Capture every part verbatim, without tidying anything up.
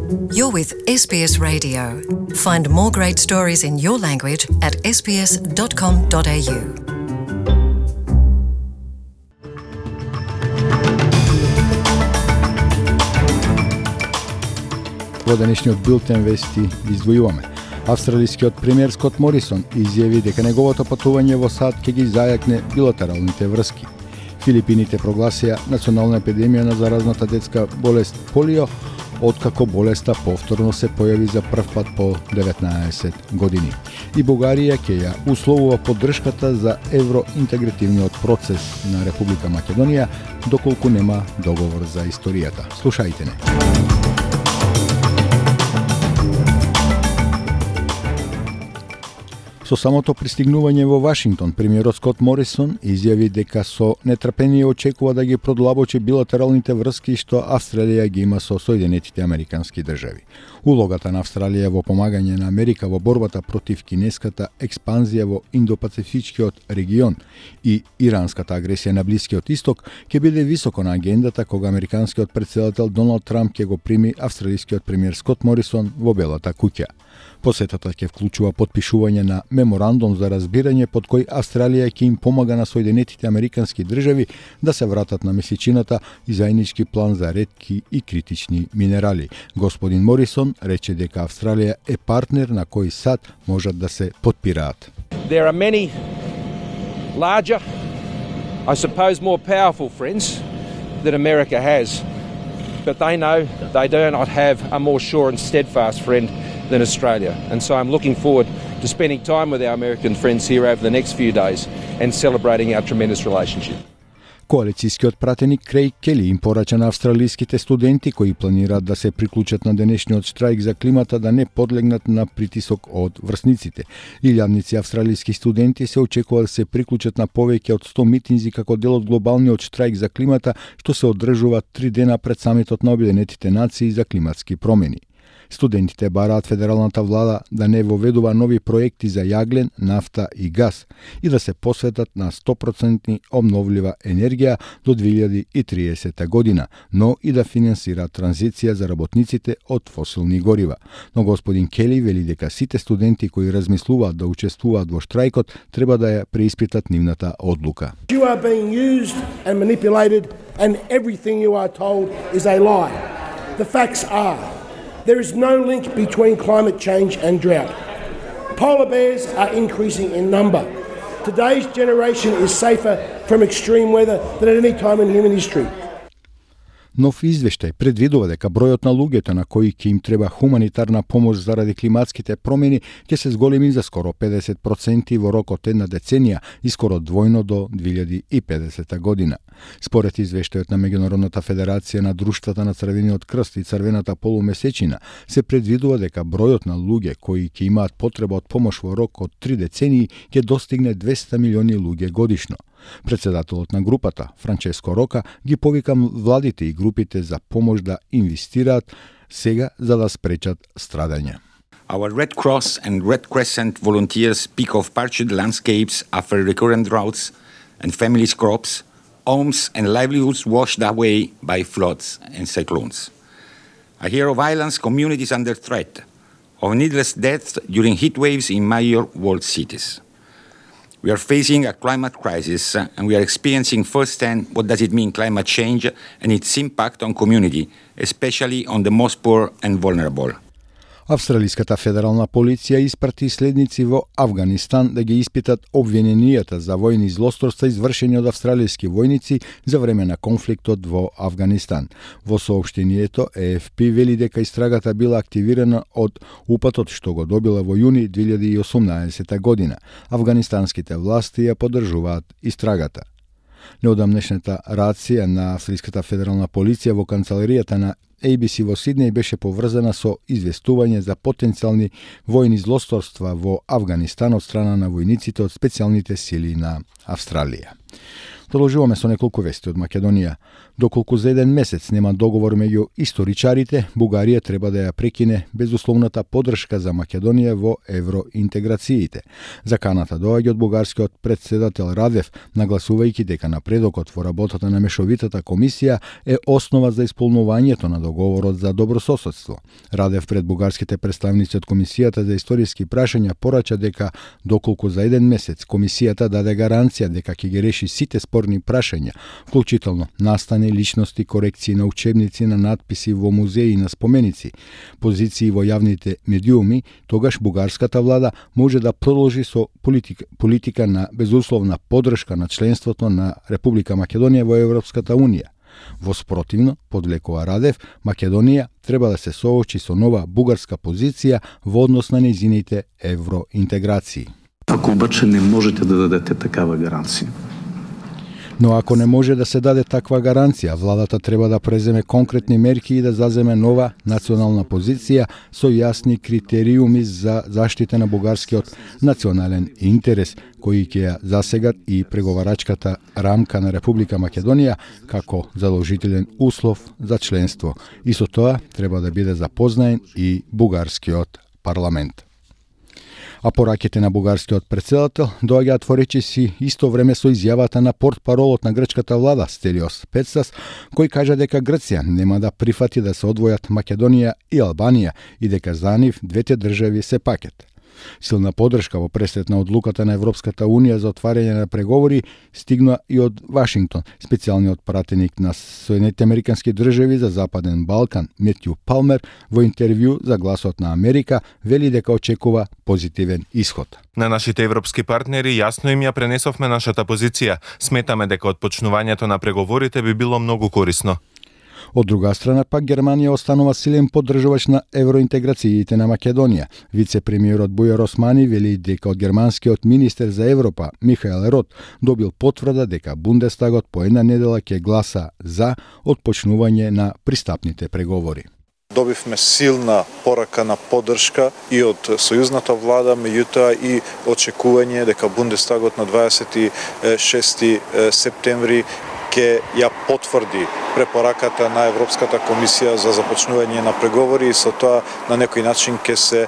You're with S B S Radio. Find more great stories in your language at s b s dot com dot a u. Во денешниот билтен вести издвојуваме. Австралискиот премиер Скот Морисон изјави дека неговото патување во САД ќе ги зајакне билатералните врски. Филипините прогласија национална епидемија на заразната детска болест полио, откако болеста повторно се појави за прв пат по деветнаесет години. И Бугарија ќе ја условува поддршката за евроинтегративниот процес на Република Македонија, доколку нема договор за историјата. Слушајте не. Со самото пристигнување во Вашингтон, премиерот Скот Морисон изјави дека со нетрпение очекува да ги продлабочи билатералните врски што Австралија ги има со Соединетите Американски држави. Улогата на Австралија во помагање на Америка во борбата против кинеската експанзија во Индо-Пацифичкиот регион и иранската агресија на Блискиот Исток ќе биде високо на агендата кога американскиот претседател Доналд Трамп ќе го прими австралискиот премиер Скот Морисон во Белата куќа. Посетата ќе вклучува потпишување на меморандум за разбирање под кој Австралија ќе им помага на Соединетите Американски држави да се вратат на месечината и заеднички план за ретки и критични минерали. Господин Морисон рече дека Австралија е партнер на кој САД можат да се потпираат. There are many larger, I suppose more powerful friends that America has, but they know they do not have a more sure and steadfast friend than Australia. And so I'm looking forward to spending time with our American friends here over the next few days and celebrating our tremendous relationship. Коалицијскиот пратеник Крейг Кели им порача на австралиските студенти кои планираат да се приклучат на денешниот штрајк за климата да не подлегнат на притисок од врсниците. Илјадници австралиски студенти се очекува да се приклучат на повеќе од сто митинзи како дел од глобалниот штрајк за климата што се одржува три дена пред самитот на Обединетите нации за климатски промени. Студентите бараат федералната влада да не воведува нови проекти за јаглен, нафта и газ и да се посветат на сто проценти обновлива енергија до две илјади и триесета година, но и да финансираат транзиција за работниците од фосилни горива. Но господин Кели вели дека сите студенти кои размислуваат да учествуваат во штрајкот треба да ја преиспитат нивната одлука. You are being used and manipulated and everything you are told is a lie. The facts are there is no link between climate change and drought. Polar bears are increasing in number. Today's generation is safer from extreme weather than at any time in human history. Нов извештај предвидува дека бројот на луѓето на кои ќе им треба хуманитарна помош заради климатските промени ќе се зголеми за скоро педесет проценти во рок од една деценија и скоро двојно до две илјади и педесета година. Според извештајот на Меѓународната федерација на друштвата на Црвениот крст и Црвената полумесечина, се предвидува дека бројот на луѓе кои ќе имаат потреба од помош во рок од три децении ќе достигне двесте милиони луѓе годишно. Председателот на групата, Франческо Рока, ги повика владите и групите за помош да инвестираат сега за да спречат страдање. Our Red Cross and Red Crescent volunteers speak of parched landscapes after recurrent droughts and families' crops, homes and livelihoods washed away by floods and cyclones. I hear of islands communities under threat, of needless deaths during heat waves in major world cities. We are facing a climate crisis and we are experiencing firsthand what does it mean climate change and its impact on community, especially on the most poor and vulnerable. Австралиската федерална полиција испрати следници во Авганистан да ги испитат обвиненијата за војни злосторства извршени од австралиски војници за време на конфликтот во Авганистан. Во соопштението Е Еф Пи вели дека истрагата била активирана од упатот што го добила во јуни две илјади и осумнаесета година. Авганистанските власти ја поддржуваат истрагата. Неодамнешната рација на Австралиската федерална полиција во канцеларијата на Ей Би Си во Сиднеј беше поврзана со известување за потенцијални војни злосторства во Авганистан од страна на војниците од специјалните сили на Австралија. Продолжуваме со неколку вести од Македонија. Доколку за еден месец нема договор меѓу историчарите, Бугарија треба да ја прекине безусловната поддршка за Македонија во евроинтеграциите. Заканата доаѓа од бугарскиот претседател Радев, нагласувајќи дека напредокот во работата на мешовитата комисија е основа за исполнувањето на договорот за добрососедство. Радев пред бугарските представници од Комисијата за историски прашања порача дека доколку за еден месец комисијата даде гаранција дека ќе ги реши сите спорни прашања, вклучително настани, личности, корекции на учебници, на надписи во музеи и на споменици, позиции во јавните медиуми, тогаш бугарската влада може да продолжи со политика, политика на безусловна поддршка на членството на Република Македонија во Европската Унија. Во спротивно, подвлекува Радев, Македонија треба да се соочи со нова бугарска позиција во однос на нејзините евроинтеграции. Ако обаче не можете да дадете такава гаранција. Но ако не може да се даде таква гаранција, владата треба да преземе конкретни мерки и да заземе нова национална позиција со јасни критериуми за заштита на бугарскиот национален интерес, кои ќе ја засегат и преговарачката рамка на Република Македонија како задолжителен услов за членство. И со тоа треба да биде запознаен и бугарскиот парламент. А пораките на бугарскиот претседател доаѓаат во речиси исто време со изјавата на портпаролот на грчката влада Стелиос Пецас, кој кажа дека Грција нема да прифати да се одвојат Македонија и Албанија и дека за нив двете држави се пакет. Силна поддршка во пресрет на одлуката на Европската Унија за отварање на преговори стигна и од Вашингтон. Специјалниот пратеник на Соединетите Американски држави за Западен Балкан Метју Палмер во интервју за Гласот на Америка вели дека очекува позитивен исход. На нашите европски партнери јасно им ја пренесовме нашата позиција. Сметаме дека отпочнувањето на преговорите би било многу корисно. Од друга страна пак Германија останува силен поддржувач на евроинтеграциите на Македонија. Вице-премиерот Бујар Османи вели дека од германскиот министер за Европа Михаел Рот добил потврда дека Бундестагот по една недела ќе гласа за отпочнување на пристапните преговори. Добивме силна порака на поддршка и од сојузната влада, меѓутоа и очекување дека Бундестагот на дваесет и шести септември ќе ја потврди препораката на Европската комисија за започнување на преговори и со тоа на некој начин ќе се е,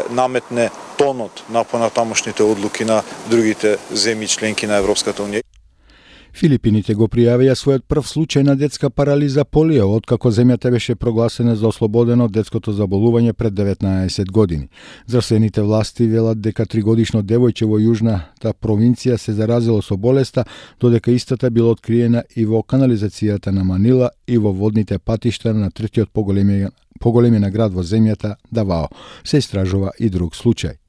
наметне тонот на понатамошните одлуки на другите земји членки на Европската унија. Филипините го пријавија својот прв случај на детска парализа полио, откако земјата беше прогласена за ослободена од детското заболување пред деветнаесет години. Здравствените власти велат дека тригодишно девојче во јужната провинција се заразило со болеста, додека истата била откриена и во канализацијата на Манила и во водните патишта на третиот поголеми, поголемина град во земјата, Давао. Се истражува и друг случај.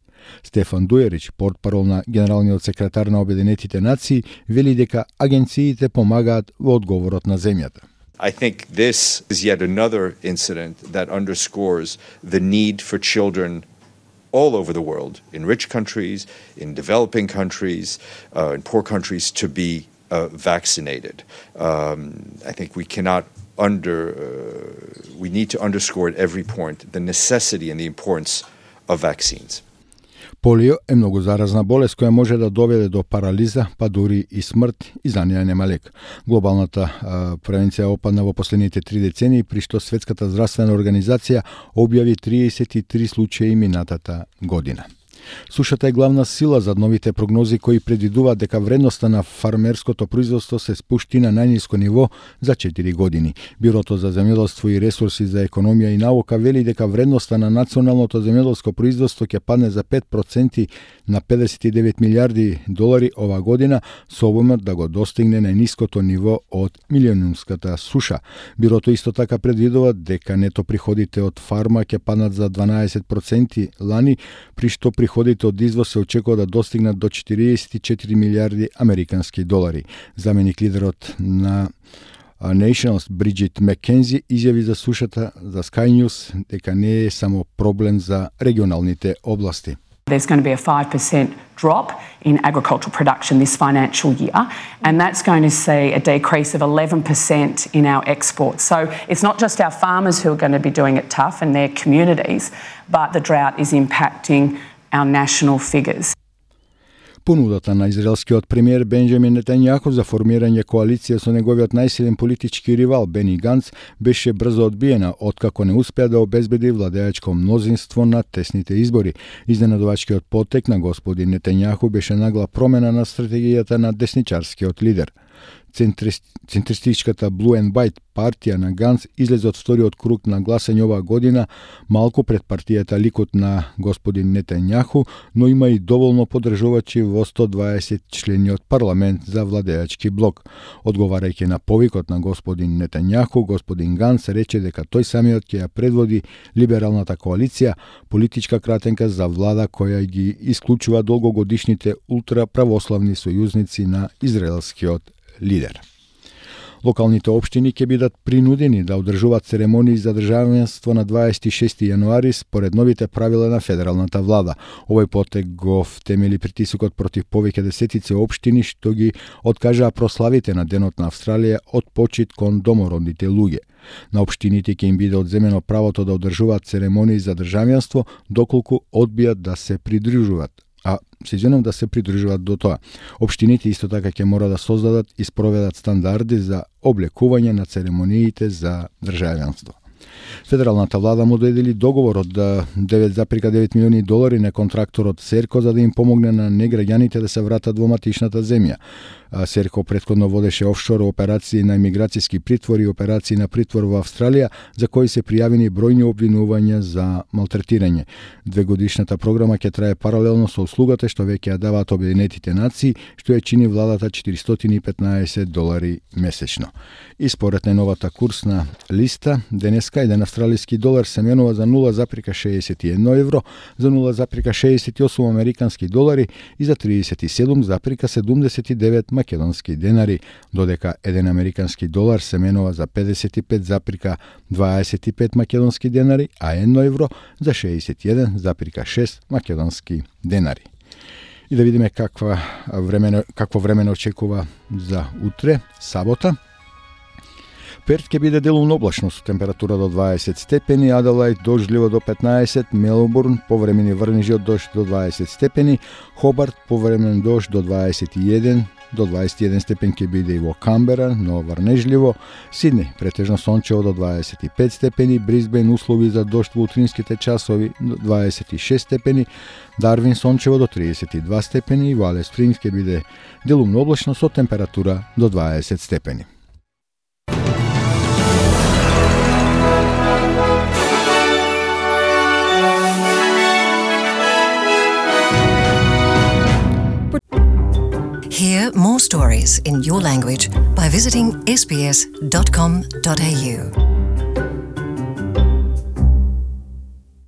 Стефан Дујерич, портпарол на генералниот секретар на Обединетите нации, вели дека агенциите помагаат во одговорот на земјата. I think this is yet another incident that underscores the need for children all over the world, in rich countries, in developing countries, uh, in poor countries, to be uh, vaccinated. Um, I think we cannot under, uh, we need to underscore at every point the necessity and the importance of vaccines. Полио е многу заразна болест која може да доведе до парализа, па дури и смрт, и за неја нема лек. Глобалната а, превенција опадна во последните три децении, при што Светската здравствена организација објави триесет и три случаи минатата година. Сушата е главна сила за новите прогнози кои предвидуваат дека вредноста на фармерското производство се спушти на најниско ниво за четири години. Бюрото за земјоделство и ресурси за економија и наука вели дека вредноста на националното земјоделско производство ќе падне за пет проценти на педесет и девет милијарди долари ова година, со обумот да го достигне најниското ниво од милионумската суша. Бюрото исто така предвидува дека нето приходите од фарма ќе паднат за дванаесет проценти лани, при што приходите од извоз се очекува да достигнат до четириесет и четири милијарди американски долари. Заменик лидерот на Nationals Бриджит Маккензи изјави за сушата за Sky News дека не е само проблем за регионалните области. There's going to be a five percent drop in agricultural production this financial year, and that's going to see a decrease of eleven percent in our exports. So it's not just our farmers who are going to be doing it tough and their communities, but the drought is impacting our national figures. Понудата на израелскиот премиер Бенџамин Нетањаху за формирање коалиција со неговиот најсилен политички ривал Бени Ганц беше брзо одбиена, откако не успеа да обезбеди владеачко мнозинство на тесните избори. Изненадувачкиот потек на господин Нетањаху беше нагла промена на стратегијата на десничарскиот лидер. Центристичката Blue and White партија на Ганц излезе од вториот круг на гласање оваа година, малку пред партијата Ликуд на господин Нетањаху, но има и доволно поддржувачи во сто дваесет члениот парламент за владеачки блок. Одговарајќи на повикот на господин Нетањаху, господин Ганц рече дека тој самиот ќе ја предводи либералната коалиција, политичка кратенка за влада која ги исклучува долгогодишните ултраправославни сојузници на израелскиот лидер. Локалните општини ќе бидат принудени да одржуваат церемонии за државенство на дваесет и шести јануари според новите правила на федералната влада. Овој потек го втемели притисокот против повеќе десетици општини што ги откажаа прославите на Денот на Австралија од почит кон домородните луѓе. На општините ќе им биде одземено правото да одржуваат церемонии за државенство доколку одбијат да се придружуваат. А се извинувам да се придружуваат до тоа. Општините исто така ќе мора да создадат и спроведат стандарди за облекување на церемониите за државенство. Федералната влада му додели договор од девет зарем девет милиони долари на контракторот Серко за да им помогне на неграѓаните да се вратат во матичната земја. Серко претходно водеше офшор операции на имиграцијски притвор и операции на притвор во Австралија, за кои се пријавени бројни обвинувања за малтретирање. Двегодишната програма ќе трае паралелно со услугата што веќе ја даваат Обединетите нации, што ја чини владата четиристотини и петнаесет долари месечно. И според најновата курсна листа, денеска еден австралиски долар се менува за нула зарем шеесет и едно евро, за нула зарем шеесет и осум американски долари и за тридесет и седум зарем седумдесет и девет македонски денари, додека еден американски долар се менува за педесет и пет зарем дваесет и пет македонски денари, а едно евро за шеесет и еден зарем шест македонски денари. И да видиме каква време, какво време очекува за утре, сабота. Перт ќе биде делумно облачно со температура до дваесет степени, Аделајд дождливо до петнаесет, Мелбурн повремени врнежи од дожд до дваесет степени, Хобарт повремен дожд до дваесет и еден, до дваесет и еден степен ќе биде и во Камбера, но врнежливо, Сиднеј претежно сончево до дваесет и пет степени, Брисбен услови за дожд во утринските часови до дваесет и шест степени, Дарвин сончево до тридесет и два степени и во Алис Спрингс ќе биде делумно облачно со температура до дваесет степени. Hear more stories in your language by visiting s b s dot com dot a u.